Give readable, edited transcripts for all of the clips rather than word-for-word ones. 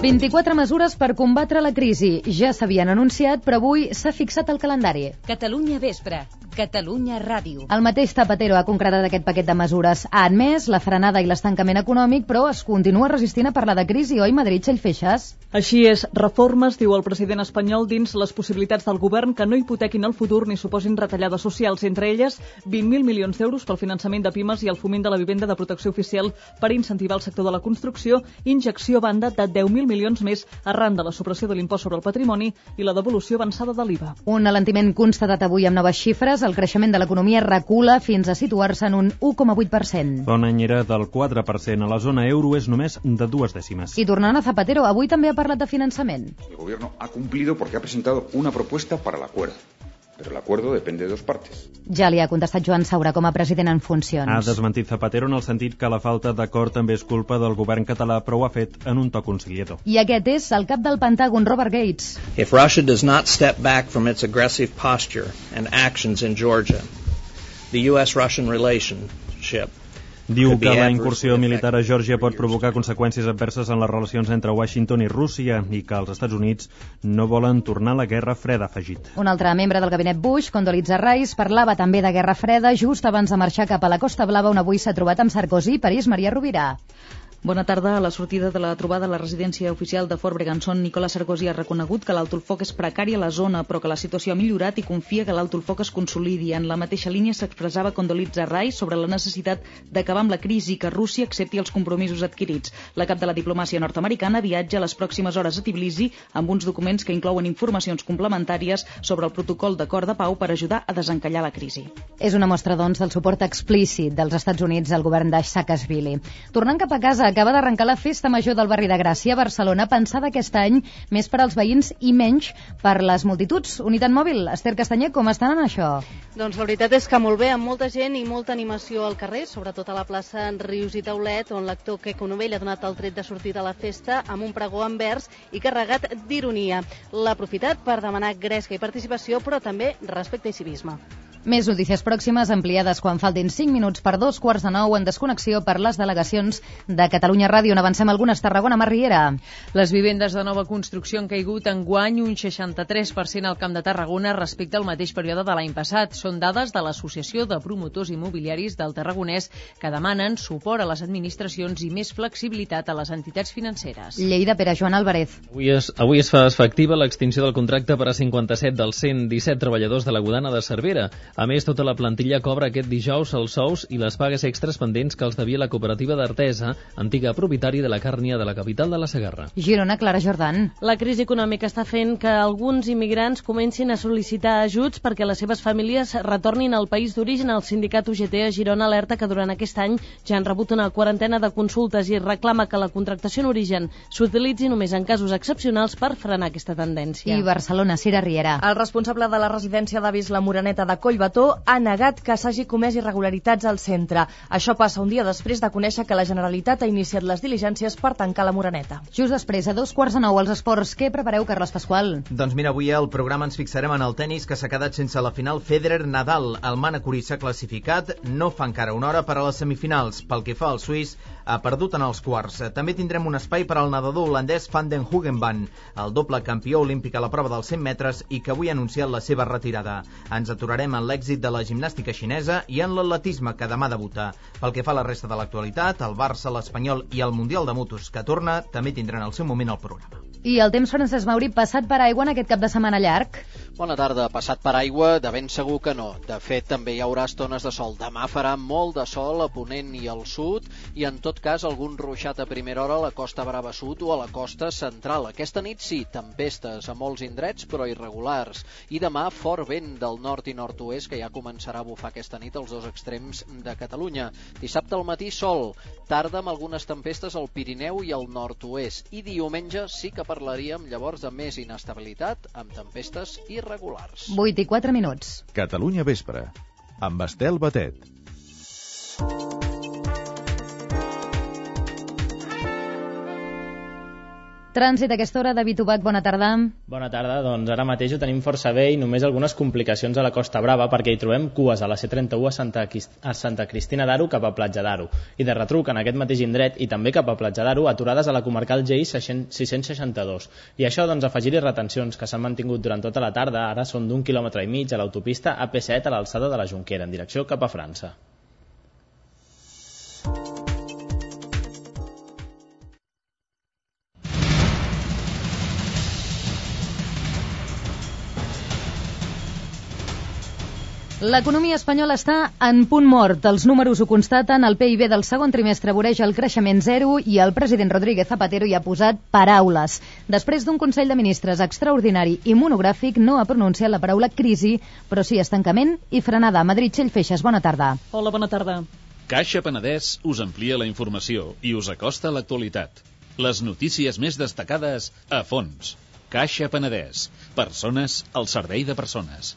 24 mesures per combatre la crisi. Ja s'havien anunciat, però avui s'ha fixat el calendari. Catalunya Vespre, Catalunya Ràdio. El mateix Zapatero ha concretat aquest paquet de mesures. Ha admès la frenada i l'estancament econòmic, però es continua resistint a parlar de crisi, oi, Madrid Xellfeixes? Així és, reformes, diu el president espanyol, dins les possibilitats del govern que no hipotequin el futur ni suposin retallades socials, entre elles 20.000 milions d'euros pel finançament de pimes i el foment de la vivenda de protecció oficial per incentivar el sector de la construcció, injecció a banda de 10.000 milions més arran de la supressió de l'impost sobre el patrimoni i la devolució avançada de l'IVA. Un alentiment constatat avui amb noves xifres. El creixement de l'economia recula fins a situar-se en un 1,8%. Fa un any era del 4%. A la zona euro és només de 2 dècimes. I tornant a Zapatero, avui també ha parlat de finançament. El gobierno ha cumplido porque ha presentado una propuesta para el acuerdo. Pero el acuerdo depende de dos partes. Ja li ha contestat Joan Saura com a president en funcions. Ha desmentit Zapatero en el sentit que la falta d'acord també és culpa del govern català, però ho ha fet en un to conciliador. I aquest és el cap del Pentàgon, Robert Gates. If Russia does not step back from its aggressive posture and actions in Georgia, the U.S.-Russian relationship diu que la incursió militar a Geòrgia pot provocar conseqüències adverses en les relacions entre Washington i Rússia i que els Estats Units no volen tornar a la Guerra Freda, afegit. Un altre membre del gabinet Bush, Condoleezza Rice, parlava també de Guerra Freda just abans de marxar cap a la Costa Blava, on avui s'ha trobat amb Sarkozy, París, Maria Rovira. Bona tarda. A la sortida de la trobada a la residència oficial de Fort Bregantson, Nicolas Sarkozy ha reconegut que l'alt foc és precari a la zona, però que la situació ha millorat i confia que l'alt foc es consolidi. En la mateixa línia s'expressava Condoleezza Rice sobre la necessitat d'acabar amb la crisi i que Rússia accepti els compromisos adquirits. La cap de la diplomàcia nord-americana viatja a les pròximes hores a Tbilisi amb uns documents que inclouen informacions complementàries sobre el protocol d'acord de pau per ajudar a desencallar la crisi. És una mostra, doncs, del suport explícit dels Estats Units al govern de Saakashvili. Tornant cap a casa, acaba d'arrencar la Festa Major del barri de Gràcia a Barcelona, pensada aquest any més per als veïns i menys per les multituds. Unitat Mòbil, Esther Castanyer, com estan en això? Doncs la veritat és que molt bé, amb molta gent i molta animació al carrer, sobretot a la plaça Rius i Taulet, on l'actor Queco Novell ha donat el tret de sortida a la festa amb un pregó en vers i carregat d'ironia. L'ha aprofitat per demanar gresca i participació, però també respecte i civisme. Més notícies pròximes, ampliades quan faltin 5 minuts per 8:45 en desconnexió per les delegacions de Catalunya Ràdio. On avancem algunes. Tarragona, Mar Riera. Les vivendes de nova construcció han caigut enguany un 63% al Camp de Tarragona respecte al mateix període de l'any passat. Són dades de l'Associació de Promotors Immobiliaris del Tarragonès, que demanen suport a les administracions i més flexibilitat a les entitats financeres. Lleida, Pere Joan Álvarez. Avui es fa efectiva l'extinció del contracte per a 57 dels 117 treballadors de la Godana de Cervera. A més, tota la plantilla cobra aquest dijous els sous i les pagues extres pendents que els devia la cooperativa d'Artesa, antiga propietària de la càrnia de la capital de la Segarra. Girona, Clara Jordan. La crisi econòmica està fent que alguns immigrants comencin a sol·licitar ajuts perquè les seves famílies retornin al país d'origen. El sindicat UGT a Girona alerta que durant aquest any ja han rebut una quarantena de consultes i reclama que la contractació en origen s'utilitzi només en casos excepcionals per frenar aquesta tendència. I Barcelona, Cira Riera. El responsable de la residència d'avis La Moreneta de Collbató ha negat que s'hagi comès irregularitats al centre. Això passa un dia després de conèixer que la Generalitat ha iniciat les diligències per tancar la Moreneta. Just després, a 8:45, als esports. Què prepareu, Carles Pasqual? Doncs mira, avui al programa ens fixarem en el tennis, que s'ha quedat sense la final Federer-Nadal. El manacorí s'ha classificat, no fa encara una hora per a les semifinals. Pel que fa al suís, ha perdut en els quarts. També tindrem un espai per al nedador holandès Van den Hoogenband, el doble campió olímpic a la prova dels 100 metres i que avui ha anunciat la seva retirada. Ens aturarem en l'èxit de la gimnàstica xinesa i en l'atletisme, que demà debuta. Pel que fa a la resta de l'actualitat, el Barça, l'Espanyol i el Mundial de Motos, que torna, també tindran el seu moment al programa. I el temps, Francesc Mauri, passat per aigua en aquest cap de setmana llarg? Bona tarda. Passat per aigua, de ben segur que no. De fet, també hi haurà estones de sol. Demà farà molt de sol a ponent i al sud i, en tot cas, algun ruixat a primera hora a la Costa Brava Sud o a la costa central. Aquesta nit sí, tempestes a molts indrets, però irregulars. I demà, fort vent del nord i nord-oest, que ja començarà a bufar aquesta nit als dos extrems de Catalunya. Dissabte al matí, sol. Tarda amb algunes tempestes al Pirineu i al nord-oest. I diumenge sí que parlaríem llavors de més inestabilitat amb tempestes irregulars. 8:04 minuts. Catalunya Vespre, amb Estel Batet. Trànsit a aquesta hora, David Ubach, bona tarda. Bona tarda, doncs ara mateix ho tenim força bé i només algunes complicacions a la Costa Brava perquè hi trobem cues a la C31 a Santa Cristina d'Aro cap a Platja d'Aro i de retruc en aquest mateix indret i també cap a Platja d'Aro aturades a la comarcal GI 662. I això doncs afegir-hi retencions que s'han mantingut durant tota la tarda, ara són d'1,5 quilòmetre a l'autopista AP7 a l'alçada de la Jonquera en direcció cap a França. L'economia espanyola està en punt mort. Els números ho constaten, el PIB del segon trimestre voreja el creixement zero i el president Rodríguez Zapatero hi ha posat paraules. Després d'un Consell de Ministres extraordinari i monogràfic, no ha pronunciat la paraula crisi, però sí estancament i frenada. Madrid, Txell Feixes, bona tarda. Hola, bona tarda. Caixa Penedès us amplia la informació i us acosta l'actualitat. Les notícies més destacades a fons. Caixa Penedès. Persones al servei de persones.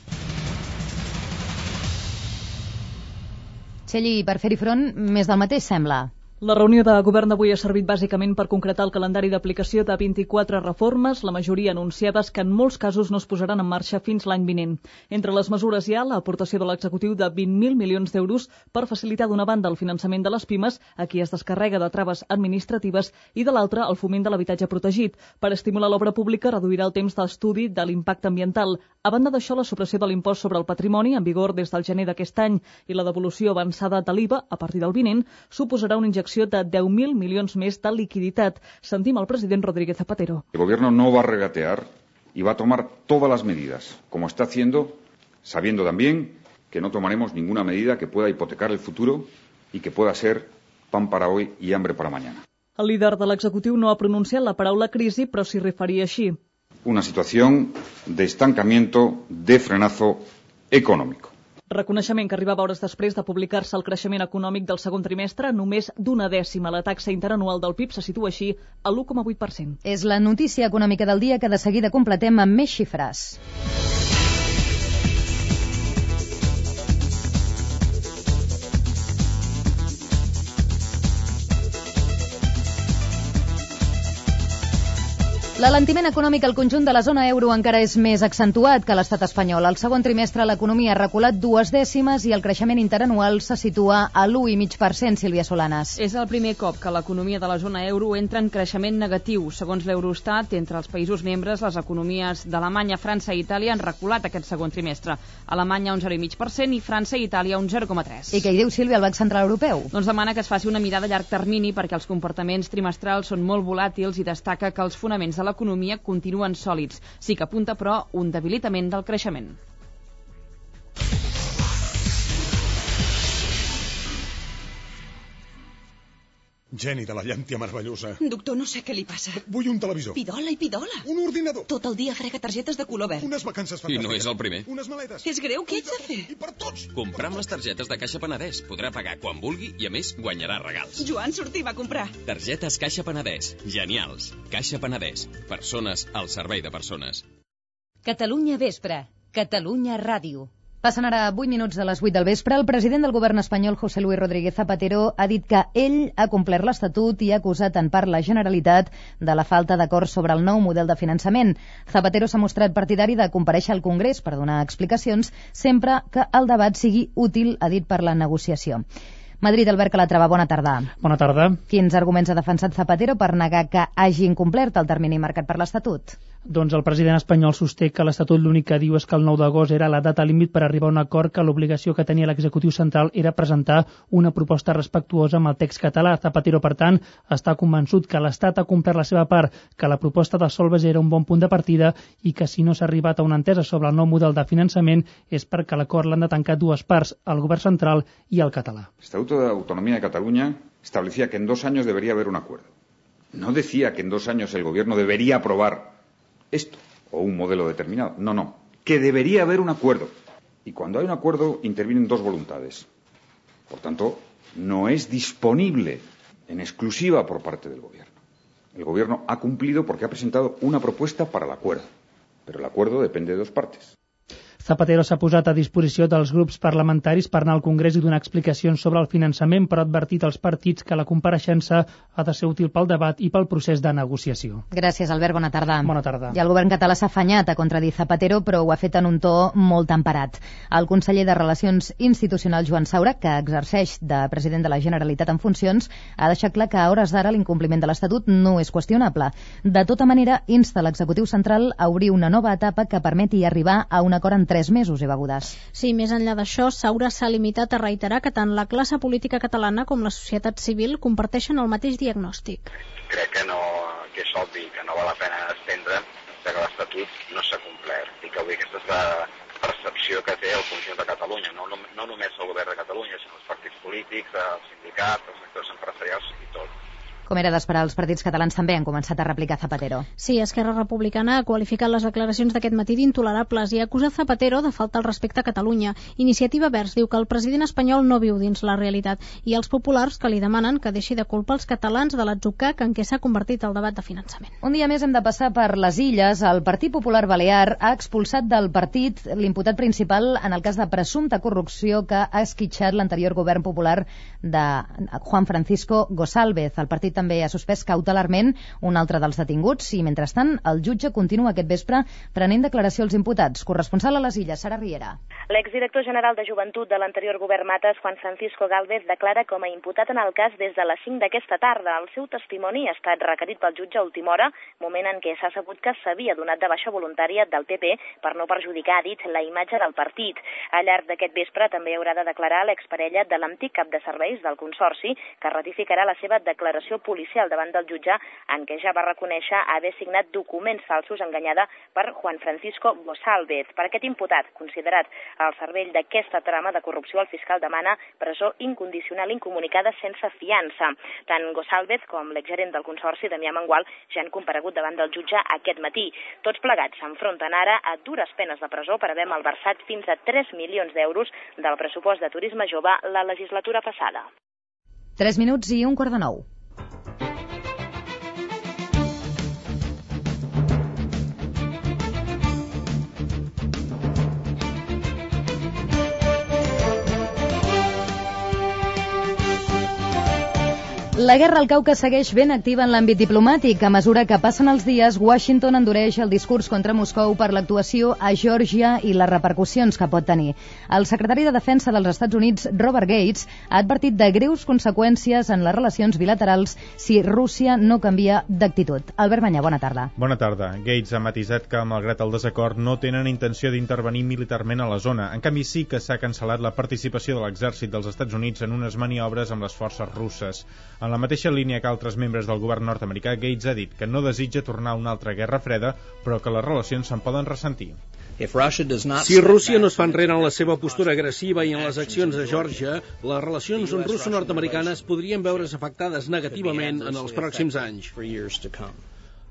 Txelli, per fer-hi front, més del mateix sembla. La reunió de govern d'avui ha servit bàsicament per concretar el calendari d'aplicació de 24 reformes, la majoria anunciades que en molts casos no es posaran en marxa fins l'any vinent. Entre les mesures hi ha l'aportació de l'executiu de 20.000 milions d'euros per facilitar d'una banda el finançament de les pimes, a qui es descarrega de traves administratives, i de l'altra el foment de l'habitatge protegit. Per estimular l'obra pública reduirà el temps d'estudi de l'impacte ambiental. A banda d'això, la supressió de l'impost sobre el patrimoni, en vigor des del gener d'aquest any, i la devolució avançada de l'IVA, a partir del vinent, suposarà una injecció de 10.000 milions més de liquiditat. Sentim el president Rodríguez Zapatero. El gobierno no va a regatear y va a tomar todas las medidas, como está haciendo, sabiendo también que no tomaremos ninguna medida que pueda hipotecar el futuro y que pueda ser pan para hoy y hambre para mañana. El líder de l'executiu no ha pronunciat la paraula crisi, però s'hi referia així. Una situación de estancamiento, de frenazo económico. Reconeixement que arribava hores després de publicar-se el creixement econòmic del segon trimestre, només d'0,1. La taxa interanual del PIB se situa així a l'1,8%. És la notícia econòmica del dia que de seguida completem amb més xifres. L'alentiment econòmic al conjunt de la zona euro encara és més accentuat que l'estat espanyol. Al segon trimestre l'economia ha reculat 0,2 i el creixement interanual se situa a l'1,5%, Sílvia Solanas. És el primer cop que l'economia de la zona euro entra en creixement negatiu. Segons l'Eurostat, entre els països membres, les economies d'Alemanya, França i Itàlia han reculat aquest segon trimestre. Alemanya un 0,5% i França i Itàlia un 0,3%. I què hi diu, Sílvia, el Banc Central Europeu? Doncs demana que es faci una mirada a llarg termini perquè els comportaments trimestrals són molt volàtils i destaca que els fonaments de l'economia continuen sòlids. Sí que apunta, però, un debilitament del creixement. Geni de la llàntia meravellosa. Doctor, no sé què li passa. Vull un televisor. Pidola i pidola. Un ordinador. Tot el dia frega targetes de color verd. Unes vacances fantàstiques. I no és el primer. Unes maletes. És greu, què ets de fer? I per tots. Comprar amb les targetes de Caixa Penedès. Podrà pagar quan vulgui i, a més, guanyarà regals. Joan, sortim a comprar. Targetes Caixa Penedès. Genials. Caixa Penedès. Persones al servei de persones. Catalunya Vespre. Catalunya Ràdio. Passen ara 8 minuts de les 8 del vespre. El president del govern espanyol, José Luis Rodríguez Zapatero, ha dit que ell ha complert l'Estatut i ha acusat en part la Generalitat de la falta d'acord sobre el nou model de finançament. Zapatero s'ha mostrat partidari de comparèixer al Congrés per donar explicacions sempre que el debat sigui útil, ha dit, per la negociació. Madrid, Albert Calatrava, bona tarda. Bona tarda. Quins arguments ha defensat Zapatero per negar que hagi incomplert el termini marcat per l'Estatut? Doncs el president espanyol sosté que l'Estatut l'únic que diu és que el 9 d'agost era la data límit per arribar a un acord, que l'obligació que tenia l'executiu central era presentar una proposta respectuosa amb el text català. Zapatero, per tant, està convençut que l'Estat ha complert la seva part, que la proposta de Solbes era un bon punt de partida i que si no s'ha arribat a una entesa sobre el nou model de finançament és perquè l'acord l'han de tancar dues parts, el govern central i el català. Estatuto de Autonomía de Cataluña establecía que en 2 años debería haber un acuerdo. No decía que en 2 años el gobierno debería aprobar esto o un modelo determinado. No, que debería haber un acuerdo. Y cuando hay un acuerdo intervienen 2 voluntades. Por tanto, no es disponible en exclusiva por parte del gobierno. El gobierno ha cumplido porque ha presentado una propuesta para el acuerdo. Pero el acuerdo depende de 2 partes. Zapatero s'ha posat a disposició dels grups parlamentaris per anar al Congrés i donar explicacions sobre el finançament, però ha advertit als partits que la compareixença ha de ser útil pel debat i pel procés de negociació. Gràcies, Albert. Bona tarda. Bona tarda. I el govern català s'ha afanyat a contradir Zapatero, però ho ha fet en un to molt temperat. El conseller de Relacions Institucionals, Joan Saura, que exerceix de president de la Generalitat en funcions, ha deixat clar que a hores d'ara l'incompliment de l'Estatut no és qüestionable. De tota manera, insta l'executiu central a obrir una nova etapa que permeti arribar a un acord en 3 mesos, Eva Godàs. Sí, més enllà d'això, Saura s'ha limitat a reiterar que tant la classe política catalana com la societat civil comparteixen el mateix diagnòstic. Crec que és obvi que no val la pena estendre que l'Estatut no s'ha complert i que avui aquesta és la percepció que té el conjunt de Catalunya, no només el govern de Catalunya, sinó els partits polítics, els sindicats, els sectors empresarials i tot. Com era d'esperar, els partits catalans també han començat a replicar Zapatero. Sí, Esquerra Republicana ha qualificat les declaracions d'aquest matí d'intolerables i ha acusat Zapatero de falta al respecte a Catalunya. Iniciativa Verds diu que el president espanyol no viu dins la realitat i els populars que li demanen que deixi de culpar els catalans de l'atzucac en què s'ha convertit el debat de finançament. Un dia més hem de passar per les Illes. El Partit Popular Balear ha expulsat del partit l'imputat principal en el cas de presumpta corrupció que ha esquitxat l'anterior govern popular de Juan Francisco González. El partit també ha suspès cautelarment un altre dels detinguts i, mentrestant, el jutge continua aquest vespre prenent declaració als imputats. Corresponsal a les Illes, Sara Riera. L'exdirector general de Joventut de l'anterior govern Mates, Juan Francisco Gálvez, declara com a imputat en el cas des de les 5 d'aquesta tarda. El seu testimoni ha estat requerit pel jutge a última hora, moment en què s'ha sabut que s'havia donat de baixa voluntària del PP per no perjudicar, ha dit, la imatge del partit. Al llarg d'aquest vespre també haurà de declarar l'exparella de l'antic cap de serveis del Consorci, que ratificarà la seva declaració policial davant del jutge en què ja va reconèixer haver signat documents falsos enganyada per Juan Francisco González. Per aquest imputat, considerat al cervell d'aquesta trama de corrupció, el fiscal demana presó incondicional incomunicada sense fiança. Tant González com l'exgerent del Consorci, Damià Mangual, ja han comparegut davant del jutge aquest matí. Tots plegats s'enfronten ara a dures penes de presó per haver malversat fins a 3 milions d'euros del pressupost de turisme jove la legislatura passada. 3 minuts i 8:45. La guerra al Caucas segueix ben activa en l'àmbit diplomàtic. A mesura que passen els dies, Washington endureix el discurs contra Moscou per l'actuació a Geòrgia i les repercussions que pot tenir. El secretari de Defensa dels Estats Units, Robert Gates, ha advertit de greus conseqüències en les relacions bilaterals si Rússia no canvia d'actitud. Albert Banyà, bona tarda. Bona tarda. Gates ha matisat que, malgrat el desacord, no tenen intenció d'intervenir militarment a la zona. En canvi, sí que s'ha cancel·lat la participació de l'exèrcit dels Estats Units en unes maniobres amb les forces russes. En la mateixa línia que altres membres del govern nord-americà, Gates ha dit que no desitja tornar a una altra guerra freda, però que les relacions se'n poden ressentir. Si Rússia no es fa enrere en la seva postura agressiva i en les accions a Geòrgia, les relacions russo-nord-americanes podrien veure's afectades negativament en els pròxims anys.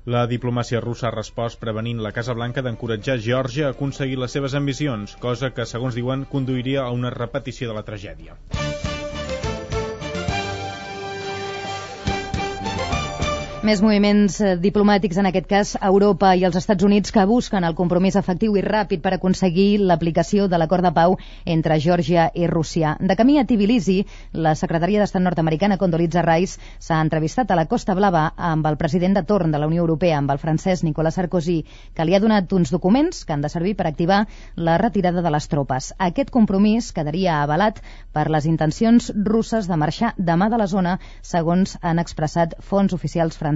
La diplomàcia russa ha respost prevenint la Casa Blanca d'encoratjar Geòrgia a aconseguir les seves ambicions, cosa que, segons diuen, conduiria a una repetició de la tragèdia. Més moviments diplomàtics, en aquest cas a Europa i als Estats Units, que busquen el compromís efectiu i ràpid per aconseguir l'aplicació de l'acord de pau entre Geòrgia i Rússia. De camí a Tbilisi, la secretària d'Estat nord-americana Condoleezza Rice s'ha entrevistat a la Costa Blava amb el president de torn de la Unió Europea, amb el francès Nicolas Sarkozy, que li ha donat uns documents que han de servir per activar la retirada de les tropes. Aquest compromís quedaria avalat per les intencions russes de marxar demà de la zona, segons han expressat fonts oficials franceses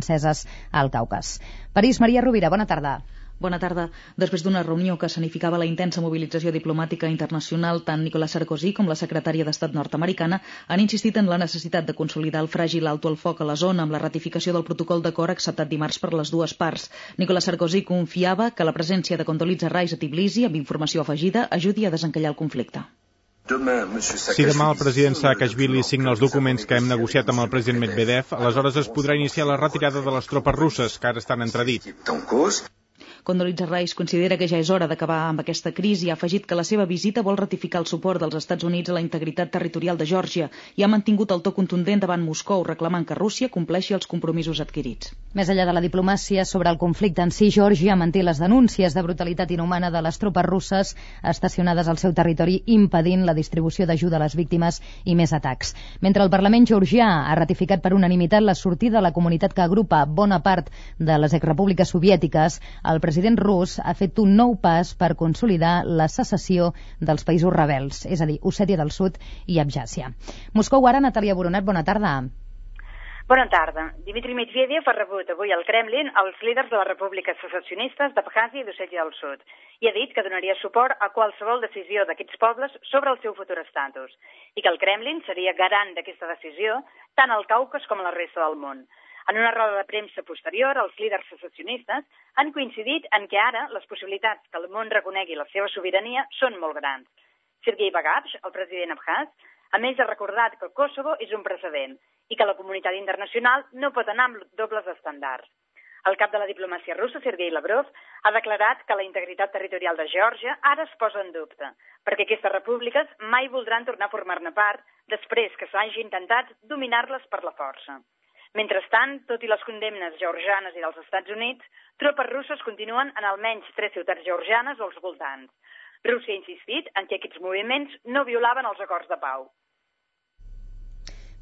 al Caucas. París, Maria Rovira, bona tarda. Bona tarda. Després d'una reunió que escenificava la intensa mobilització diplomàtica internacional, tant Nicolas Sarkozy com la secretària d'Estat nord-americana han insistit en la necessitat de consolidar el fràgil alto el foc a la zona amb la ratificació del protocol d'acord acceptat dimarts per les dues parts. Nicolas Sarkozy confiava que la presència de Condoleezza Rice a Tbilisi, amb informació afegida, ajudi a desencallar el conflicte. Si demà el president Saakashvili signa els documents que hem negociat amb el president Medvedev, aleshores es podrà iniciar la retirada de les tropes russes, que ara estan en entredit. Condoleezza Rice considera que ja és hora d'acabar amb aquesta crisi i ha afegit que la seva visita vol ratificar el suport dels Estats Units a la integritat territorial de Geòrgia i ha mantingut el to contundent davant Moscou, reclamant que Rússia compleixi els compromisos adquirits. Més enllà de la diplomàcia sobre el conflicte en si, Geòrgia manté les denúncies de brutalitat inhumana de les tropes russes estacionades al seu territori, impedint la distribució d'ajuda a les víctimes i més atacs. Mentre el Parlament georgià ha ratificat per unanimitat la sortida de la comunitat que agrupa bona part de les exrepúbliques soviètiques, el president rus ha fet un nou pas per consolidar la secessió dels països rebels, és a dir, Ossètia del Sud i Abjàsia. Moscou ara, Natàlia Boronat, bona tarda. Bona tarda. Dmitri Medvedev ha rebut avui al Kremlin els líders de les repúbliques secessionistes d'Abkhàzia i d'Ossètia del Sud i ha dit que donaria suport a qualsevol decisió d'aquests pobles sobre el seu futur estatus i que el Kremlin seria garant d'aquesta decisió tant al Caucas com a la resta del món. En una roda de premsa posterior, els líders secessionistes han coincidit en que ara les possibilitats que el món reconegui la seva sobirania són molt grans. Sergei Bagapsh, el president abkhaz, a més ha recordat que el Kosovo és un precedent i que la comunitat internacional no pot anar amb dobles estàndards. El cap de la diplomàcia russa, Sergei Lavrov, ha declarat que la integritat territorial de Geòrgia ara es posa en dubte, perquè aquestes repúbliques mai voldran tornar a formar-ne part després que s'hagi intentat dominar-les per la força. Mentrestant, tot i les condemnes georgianes i dels Estats Units, tropes russes continuen en almenys 3 ciutats georgianes als voltants. Rússia ha insistit en que aquests moviments no violaven els acords de pau.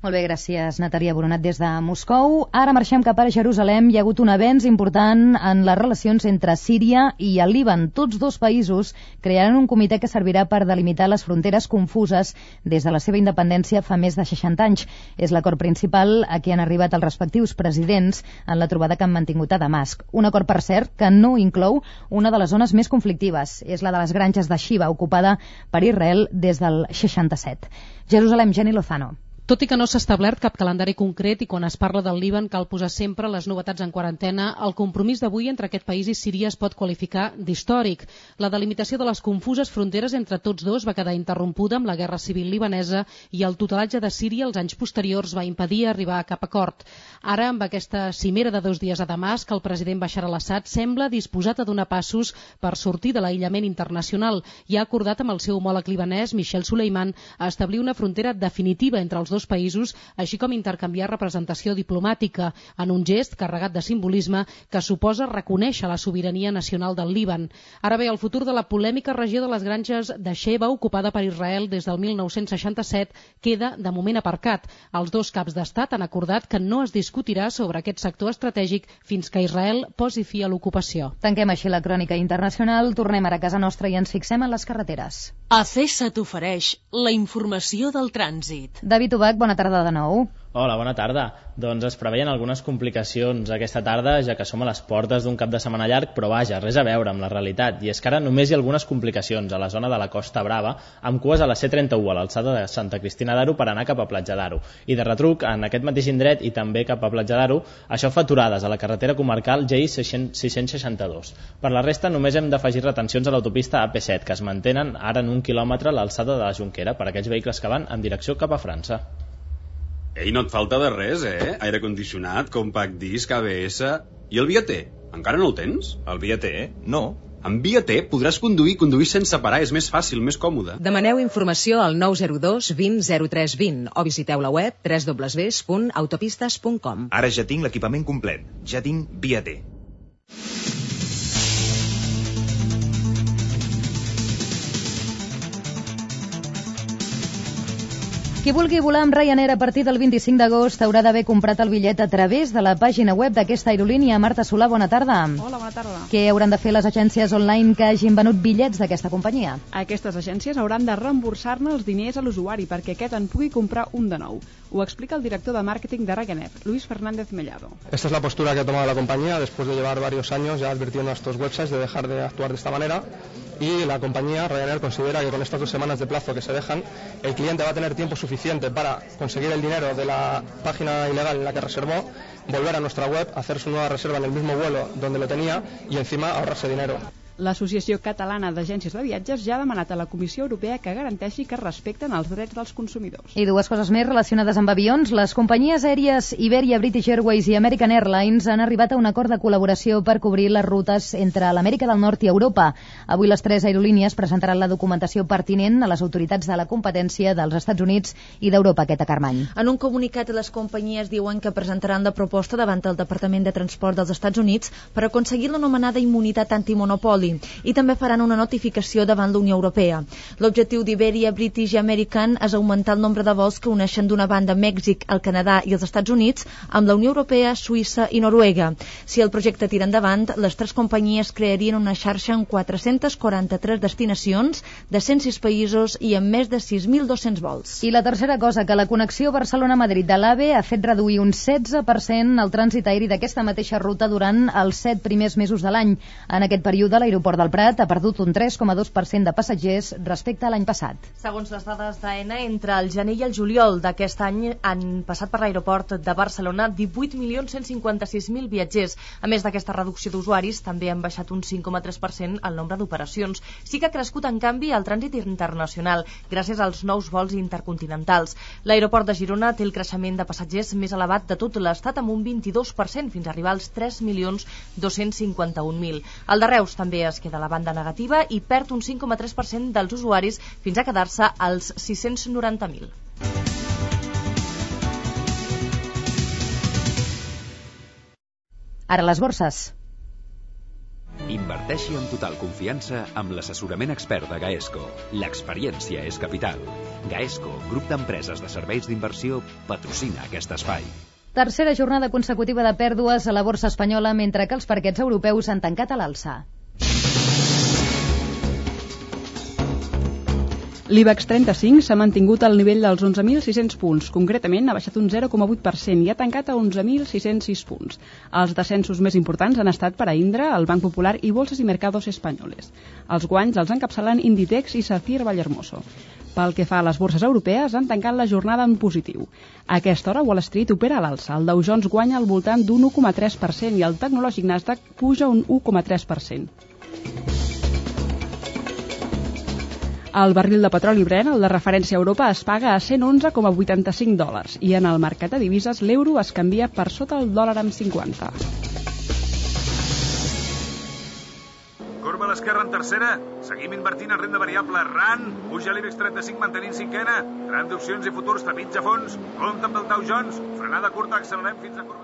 Molt bé, gràcies, Natàlia Boronat, des de Moscou. Ara marxem cap a Jerusalem. Hi ha hagut un avenç important en les relacions entre Síria i el Líban. Tots dos països crearan un comitè que servirà per delimitar les fronteres confuses des de la seva independència fa més de 60 anys. És l'acord principal a què han arribat els respectius presidents en la trobada que han mantingut a Damasc. Un acord, per cert, que no inclou una de les zones més conflictives. És la de les granges de Shiva, ocupada per Israel des del 67. Jerusalem, Jenny Lozano. Tot i que no s'ha establert cap calendari concret i quan es parla del Líban cal posar sempre les novetats en quarantena, el compromís d'avui entre aquest país i Síria es pot qualificar d'històric. La delimitació de les confuses fronteres entre tots dos va quedar interrompuda amb la guerra civil libanesa i el tutelatge de Síria els anys posteriors va impedir arribar a cap acord. Ara, amb aquesta cimera de 2 dies a Damasc, el president Bashar al-Assad sembla disposat a donar passos per sortir de l'aïllament internacional i ha acordat amb el seu homòleg libanès, Michel Suleiman, a establir una frontera definitiva entre els dos països, així com intercanviar representació diplomàtica en un gest carregat de simbolisme que suposa reconèixer la sobirania nacional del Líban. Ara bé, el futur de la polèmica regió de les granges de Sheva, ocupada per Israel des del 1967, queda de moment aparcat. Els dos caps d'estat han acordat que no es discutirà sobre aquest sector estratègic fins que Israel posi fi a l'ocupació. Tanquem així la crònica internacional, tornem ara a casa nostra i ens fixem en les carreteres. ACESA t'ofereix la informació del trànsit. David Ubach, bona tarda de nou. Hola, bona tarda. Doncs es preveien algunes complicacions aquesta tarda, ja que som a les portes d'un cap de setmana llarg, però vaja, res a veure amb la realitat. I és que ara només hi ha algunes complicacions a la zona de la Costa Brava, amb cues a la C31, a l'alçada de Santa Cristina d'Aro, per anar cap a Platja d'Aro. I de retruc, en aquest mateix indret i també cap a Platja d'Aro, això fa aturades a la carretera comarcal GI 662. Per la resta, només hem d'afegir retencions a l'autopista AP7, que es mantenen ara en 1 quilòmetre a l'alçada de la Jonquera, per aquells vehicles que van en direcció cap a França. Ei, no et falta de res, eh? Aire condicionat, compact disc, ABS... I el Via-T? Encara no el tens? El Via-T? No. Amb Via-T podràs conduir sense parar, és més fàcil, més còmode. Demaneu informació al 902 20 03 20 o visiteu la web www.autopistes.com. Ara ja tinc l'equipament complet. Ja tinc Via-T. Qui vulgui volar amb Ryanair a partir del 25 d'agost haurà d'haver comprat el bitllet a través de la pàgina web d'aquesta aerolínia. Marta Solà, bona tarda. Hola, bona tarda. Què hauran de fer les agències online que hagin venut bitllets d'aquesta companyia? Aquestes agències hauran de reemborsar-ne els diners a l'usuari perquè aquest en pugui comprar un de nou. Ho explica el director de màrqueting de Ryanair, Luis Fernández Mellado. Esta es la postura que ha tomado la compañía después de llevar varios años ya advirtiendo a estos websites de dejar de actuar de esta manera. Y la compañía Ryanair considera que con estas 2 semanas de plazo que se dejan, el cliente va a tener tiempo suficiente para conseguir el dinero de la página ilegal en la que reservó, volver a nuestra web, hacer su nueva reserva en el mismo vuelo donde lo tenía y encima ahorrarse dinero. L'Associació Catalana d'Agències de Viatges ja ha demanat a la Comissió Europea que garanteixi que es respecten els drets dels consumidors. I dues coses més relacionades amb avions. Les companyies aèries Iberia, British Airways i American Airlines han arribat a un acord de col·laboració per cobrir les rutes entre l'Amèrica del Nord i Europa. Avui les tres aerolínies presentaran la documentació pertinent a les autoritats de la competència dels Estats Units i d'Europa aquest acarmany. En un comunicat, les companyies diuen que presentaran la proposta davant el Departament de Transport dels Estats Units per aconseguir l'anomenada immunitat antimonopoli i també faran una notificació davant la Unió Europea. L'objectiu d'Iberia, British i American és augmentar el nombre de vols que uneixen d'una banda Mèxic, el Canadà i els Estats Units amb la Unió Europea, Suïssa i Noruega. Si el projecte tira endavant, les tres companyies crearien una xarxa en 443 destinacions de 106 països i amb més de 6.200 vols. I la tercera cosa, que la connexió Barcelona-Madrid de l'AVE ha fet reduir un 16% el trànsit aeri d'aquesta mateixa ruta durant els 7 primers mesos de l'any. En aquest període, l'aeroport del Prat ha perdut un 3,2% de passatgers respecte a l'any passat. Segons les dades d'AENA, entre el gener i el juliol d'aquest any han passat per l'aeroport de Barcelona 18.156.000 viatgers. A més d'aquesta reducció d'usuaris, també han baixat un 5,3% el nombre d'operacions. Sí que ha crescut, en canvi, el trànsit internacional, gràcies als nous vols intercontinentals. L'aeroport de Girona té el creixement de passatgers més elevat de tot l'Estat, amb un 22%, fins a arribar als 3.251.000. El de Reus també es queda a la banda negativa i perd un 5,3% dels usuaris fins a quedar-se als 690.000. Ara les borses. Inverteixi amb total confiança amb l'assessorament expert de Gaesco. L'experiència és capital. Gaesco, grup d'empreses de serveis d'inversió, patrocina aquest espai. Tercera jornada consecutiva de pèrdues a la borsa espanyola, mentre que els parquets europeus han tancat a l'alça. L'IBEX 35 s'ha mantingut al nivell dels 11.600 punts. Concretament, ha baixat un 0,8% i ha tancat a 11.606 punts. Els descensos més importants han estat per a Indra, el Banc Popular i Bolsas i Mercados Espanyoles. Els guanys els encapçalen Inditex i Sacyr Vallehermoso. Pel que fa a les borses europees, han tancat la jornada en positiu. A aquesta hora, Wall Street opera a l'alça. El Dow Jones guanya al voltant d'un 1,3% i el tecnològic Nasdaq puja un 1,3%. El barril de petroli Brent, el de referència a Europa, es paga a $111,85 i en el mercat de divises l'euro es canvia per sota el dòlar amb 50. Corba a l'esquerra en tercera. Seguim invertint en renda variable. RAN. Puja l'IBEX 35 mantenint cinquena. Tram d'opcions i futurs tapits a fons. Compte amb el Dow Jones. Frenada curta, accelerem fins a corba.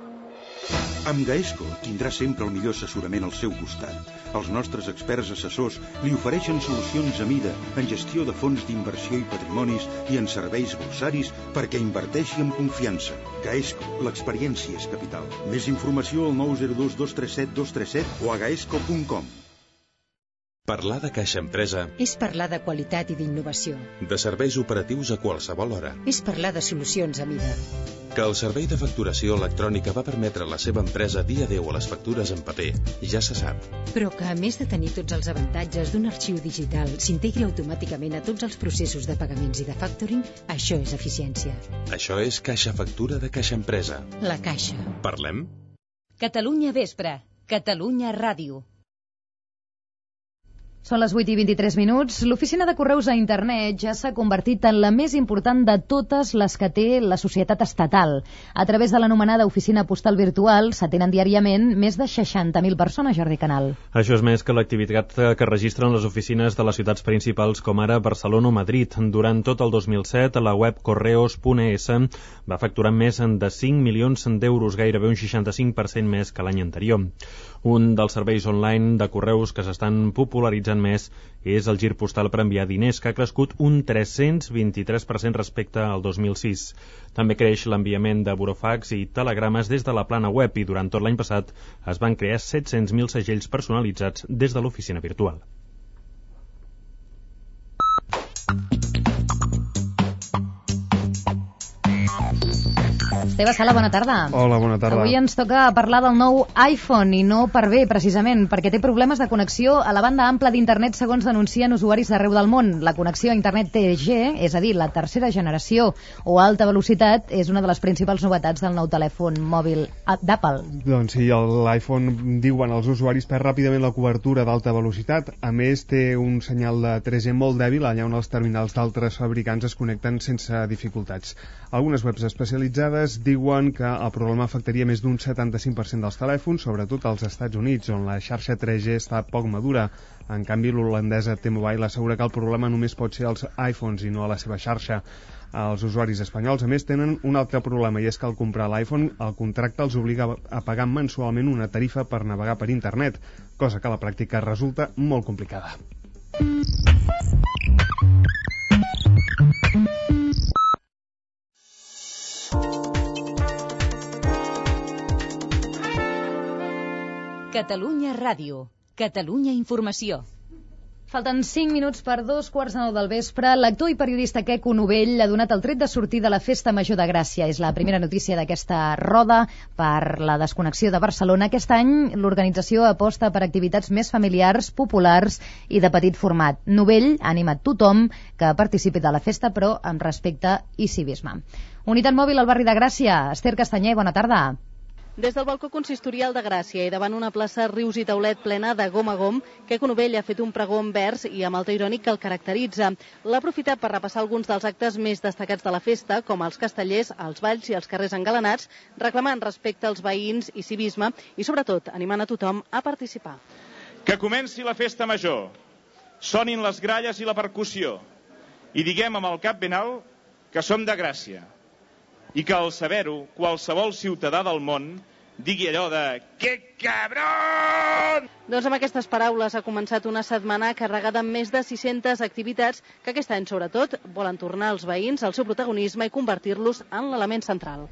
Amb Gaesco tindrà sempre el millor assessorament al seu costat. Els nostres experts assessors li ofereixen solucions a mida en gestió de fons d'inversió i patrimonis i en serveis borsaris perquè inverteixi amb confiança. Gaesco, l'experiència és capital. Més informació al 902 237 237 o a gaesco.com. Parlar de Caixa Empresa és parlar de qualitat i d'innovació. De serveis operatius a qualsevol hora. És parlar de solucions a mida. Que el servei de facturació electrònica va permetre a la seva empresa dir adéu a les factures en paper, ja se sap. Però que, a més de tenir tots els avantatges d'un arxiu digital, s'integri automàticament a tots els processos de pagaments i de factoring, això és eficiència. Això és Caixa Factura de Caixa Empresa. La Caixa. Parlem? Catalunya Vespre. Catalunya Ràdio. Són les 8:23. L'oficina de correus a internet ja s'ha convertit en la més important de totes les que té la societat estatal. A través de l'anomenada oficina postal virtual s'atenen diàriament més de 60.000 persones, Jordi Canal. Això és més que l'activitat que registren les oficines de les ciutats principals com ara Barcelona o Madrid. Durant tot el 2007, la web correos.es va facturar més de 5 milions d'euros, gairebé un 65% més que l'any anterior. Un dels serveis online de correus que s'estan popularitzant més és el gir postal per enviar diners, que ha crescut un 323% respecte al 2006. També creix l'enviament de burofax i telegrames des de la plana web i durant tot l'any passat es van crear 700.000 segells personalitzats des de l'oficina virtual. Esteve Sala, bona tarda. Hola, bona tarda. Avui ens toca parlar del nou iPhone, i no per bé, precisament, perquè té problemes de connexió a la banda ampla d'internet, segons denuncien usuaris d'arreu del món. La connexió a internet 3G, és a dir, la tercera generació o alta velocitat, és una de les principals novetats del nou telèfon mòbil d'Apple. Doncs sí, l'iPhone, diuen els usuaris, perd ràpidament la cobertura d'alta velocitat. A més, té un senyal de 3G molt dèbil, allà on els terminals d'altres fabricants es connecten sense dificultats. Algunes webs especialitzades diuen que el problema afectaria més d'un 75% dels telèfons, sobretot als Estats Units, on la xarxa 3G està poc madura. En canvi, l'holandesa T-Mobile assegura que el problema només pot ser als iPhones i no a la seva xarxa. Els usuaris espanyols, a més, tenen un altre problema, i és que al comprar l'iPhone, el contracte els obliga a pagar mensualment una tarifa per navegar per internet, cosa que a la pràctica resulta molt complicada. Catalunya Ràdio. Catalunya Informació. Falten 5 minuts per 2:15 del vespre. L'actor i periodista Queco Novell ha donat el tret de sortir de la Festa Major de Gràcia. És la primera notícia d'aquesta roda per la desconnexió de Barcelona. Aquest any l'organització aposta per activitats més familiars, populars i de petit format. Novell ha animat tothom que participi de la festa, però amb respecte i civisme. Unitat mòbil al barri de Gràcia. Esther Castanyer, bona tarda. Des del balcó consistorial de Gràcia i davant una plaça Rius i Taulet plena de gom a gom, Queco Novell ha fet un pregó en vers i amb el to irònic que el caracteritza. L'ha aprofitat per repassar alguns dels actes més destacats de la festa, com els castellers, els balls i els carrers engalanats, reclamant respecte als veïns i civisme i, sobretot, animant a tothom a participar. Que comenci la festa major, sonin les gralles i la percussió, i diguem amb el cap ben alt que som de Gràcia, i que al saber-ho, qualsevol ciutadà del món digui allò de «Que cabrón!». Doncs amb aquestes paraules ha començat una setmana carregada amb més de 600 activitats que aquest any, sobretot, volen tornar els veïns al seu protagonisme i convertir-los en l'element central.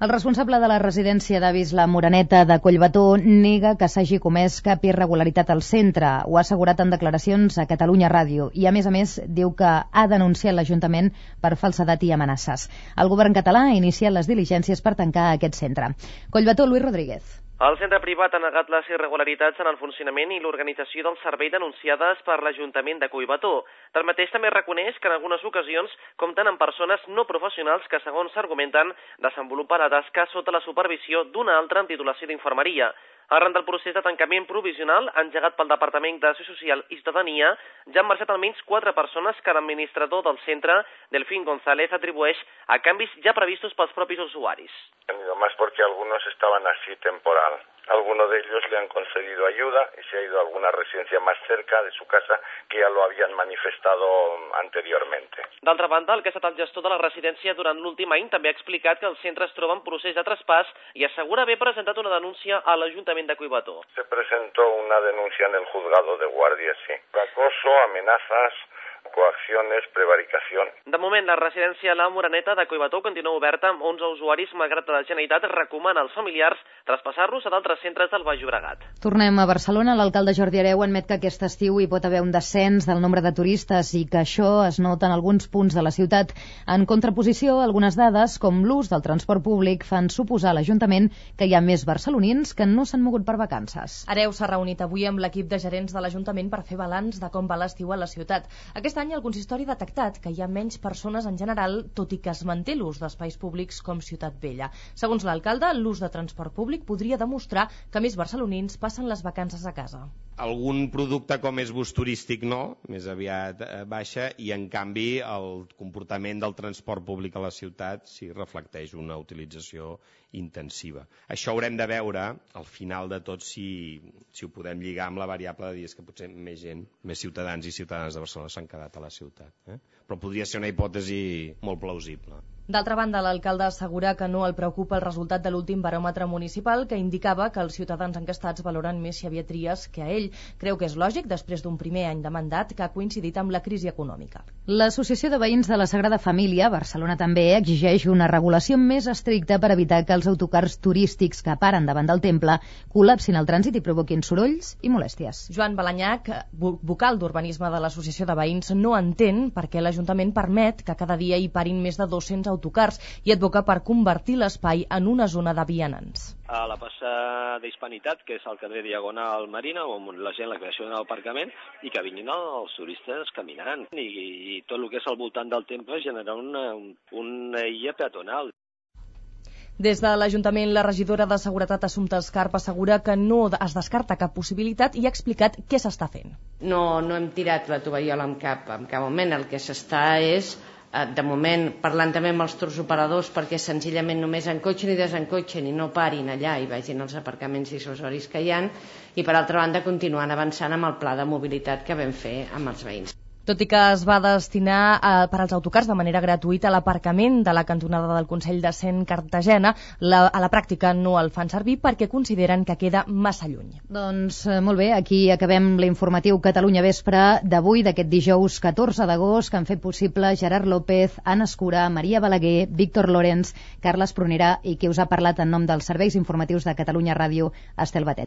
El responsable de la residència d'avis La Moreneta de Collbató nega que s'hagi comès cap irregularitat al centre. Ho ha assegurat en declaracions a Catalunya Ràdio i, a més, diu que ha denunciat l'Ajuntament per falsedat i amenaces. El govern català ha iniciat les diligències per tancar aquest centre. Collbató, Luis Rodríguez. El centre privat ha negat les irregularitats en el funcionament i l'organització del servei denunciades per l'Ajuntament de Collbató. Tanmateix també reconeix que en algunes ocasions compten amb persones no professionals que, segons s'argumenten, desenvolupen la tasca sota la supervisió d'una altra amb titulació d'infermeria. Arran del procés de tancament provisional engegat pel Departament d'Acció Social i Ciutadania, ja han marxat almenys 4 persones que l'administrador del centre, Delfín González, atribueix a canvis ja previstos pels propis usuaris. Más porque algunos estaban así temporal. Algunos de ellos le han concedido ayuda y se ha ido a alguna residencia más cerca de su casa que ya lo habían manifestado anteriormente. D'altra banda, el que ha estat el gestor de la residència durant l'últim any també ha explicat que el centre es troba en procés de traspàs i assegura haver presentat una denúncia a l'Ajuntament de Collbató. Se presentó una denuncia en el juzgado de guardia, sí. Acoso, amenazas, coacciones, prevaricación. De moment, la residència La Moreneta de Collbató continua oberta amb 11 usuaris, malgrat que la Generalitat recomana als familiars traspassar-los a d'altres centres del Baix Llobregat. Tornem a Barcelona. L'alcalde Jordi Hereu admet que aquest estiu hi pot haver un descens del nombre de turistes i que això es nota en alguns punts de la ciutat. En contraposició, algunes dades, com l'ús del transport públic, fan suposar a l'Ajuntament que hi ha més barcelonins que no s'han mogut per vacances. Hereu s'ha reunit avui amb l'equip de gerents de l'Ajuntament per fer balanç de com va l'estiu a la ciutat. Aquest any el consistori ha detectat que hi ha menys persones en general, tot i que es manté l'ús d'espais públics com Ciutat Vella. Segons l'alcalde, l'ús de transport públic podria demostrar que més barcelonins passen les vacances a casa. Algun producte com és bus turístic no, més aviat baixa, i en canvi el comportament del transport públic a la ciutat sí reflecteix una utilització intensiva. Això haurem de veure al final de tot si ho podem lligar amb la variable de dir que potser més gent, més ciutadans i ciutadanes de Barcelona s'han quedat a la ciutat. Però podria ser una hipòtesi molt plausible. D'altra banda, l'alcalde assegura que no el preocupa el resultat de l'últim baròmetre municipal, que indicava que els ciutadans encastats valoren més Xavier Trias que a ell. Creu que és lògic després d'un primer any de mandat que ha coincidit amb la crisi econòmica. L'Associació de Veïns de la Sagrada Família, Barcelona també, exigeix una regulació més estricta per evitar que els autocars turístics que paren davant del temple col·lapsin el trànsit i provoquin sorolls i molèsties. Joan Balanyac, vocal d'urbanisme de l'Associació de Veïns, no entén per què l'Ajuntament permet que cada dia hi parin més de 200 autocars i advoca per convertir l'espai en una zona de vianants. A la plaça d'Hispanitat, que és el carrer Diagonal Marina, on la gent, la creació d'un aparcament, i que vinguin els turistes caminant. I tot el que és al voltant del temple generar una illa peatonal. Des de l'Ajuntament, la regidora de Seguretat Assumpta Escarp assegura que no es descarta cap possibilitat i ha explicat què s'està fent. No hem tirat la tovallola en cap moment. El que s'està és, de moment, parlant també amb els tours operadors perquè senzillament només encotxen i desencotxen i no parin allà i vagin als aparcaments dissuasoris que hi ha, i per altra banda continuant avançant amb el pla de mobilitat que vam fer amb els veïns. Tot i que es va destinar per als autocars de manera gratuïta a l'aparcament de la cantonada del Consell de Cent Cartagena, a la pràctica no el fan servir perquè consideren que queda massa lluny. Doncs molt bé, aquí acabem l'informatiu Catalunya Vespre d'avui, d'aquest dijous 14 d'agost, que han fet possible Gerard López, Anna Escura, Maria Balaguer, Víctor Lorenz, Carles Prunera i qui us ha parlat en nom dels serveis informatius de Catalunya Ràdio, Estel Batet.